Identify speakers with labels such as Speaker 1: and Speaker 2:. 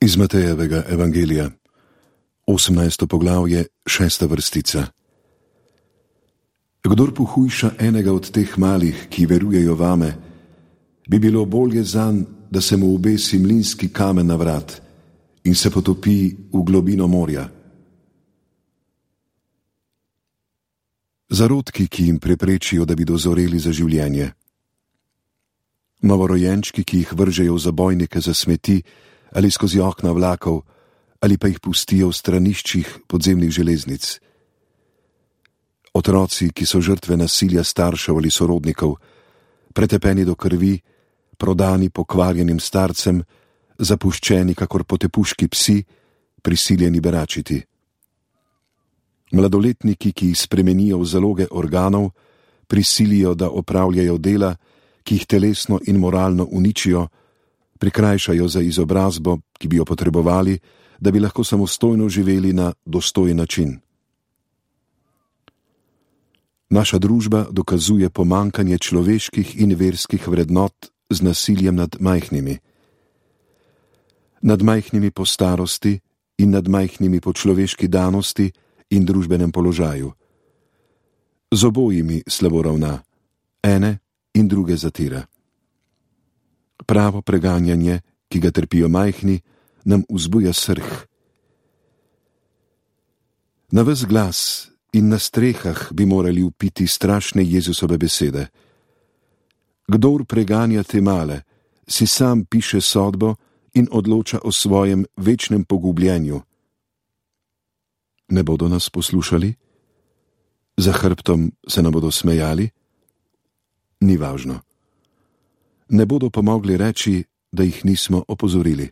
Speaker 1: Iz Matejevega evangelija, 18. poglavje, 6. vrstica. Kdor pohujša enega od teh malih, ki verujejo vame, bi bilo bolje zanj, da se mu obesi mlinski kamen na vrat in se potopi v globino morja. Zarodki, ki jim preprečijo, da bi dozoreli za življenje. Novorojenčki, ki jih vržejo v zabojnike za smeti ali skozi okna vlakov, ali pa jih pustijo v straniščih podzemnih železnic. Otroci, ki so žrtve nasilja staršev ali sorodnikov, pretepeni do krvi, prodani pokvarjenim starcem, zapuščeni kakor potepuški psi, prisiljeni beračiti. Mladoletniki, ki jih spremenijo v zaloge organov, prisilijo, da opravljajo dela, ki jih telesno in moralno uničijo, prikrajšajo za izobrazbo, ki bi jo potrebovali, da bi lahko samostojno živeli na dostojen način. Naša družba dokazuje pomankanje človeških in verskih vrednot z nasiljem nad majhnimi. Nad majhnimi po starosti in nad majhnimi po človeški danosti in družbenem položaju. Z obojimi slabo ravna, ene in druge zatira. Pravo preganjanje, ki ga trpijo majhni, nam vzbuja srh. Na ves glas in na strehah bi morali vpiti strašne Jezusove besede. Kdor preganja te male, si sam piše sodbo in odloča o svojem večnem pogubljenju. Ne bodo nas poslušali? Za hrbtom se nam bodo smejali? Ni važno. Ne bodo pa mogli reči, da jih nismo opozorili.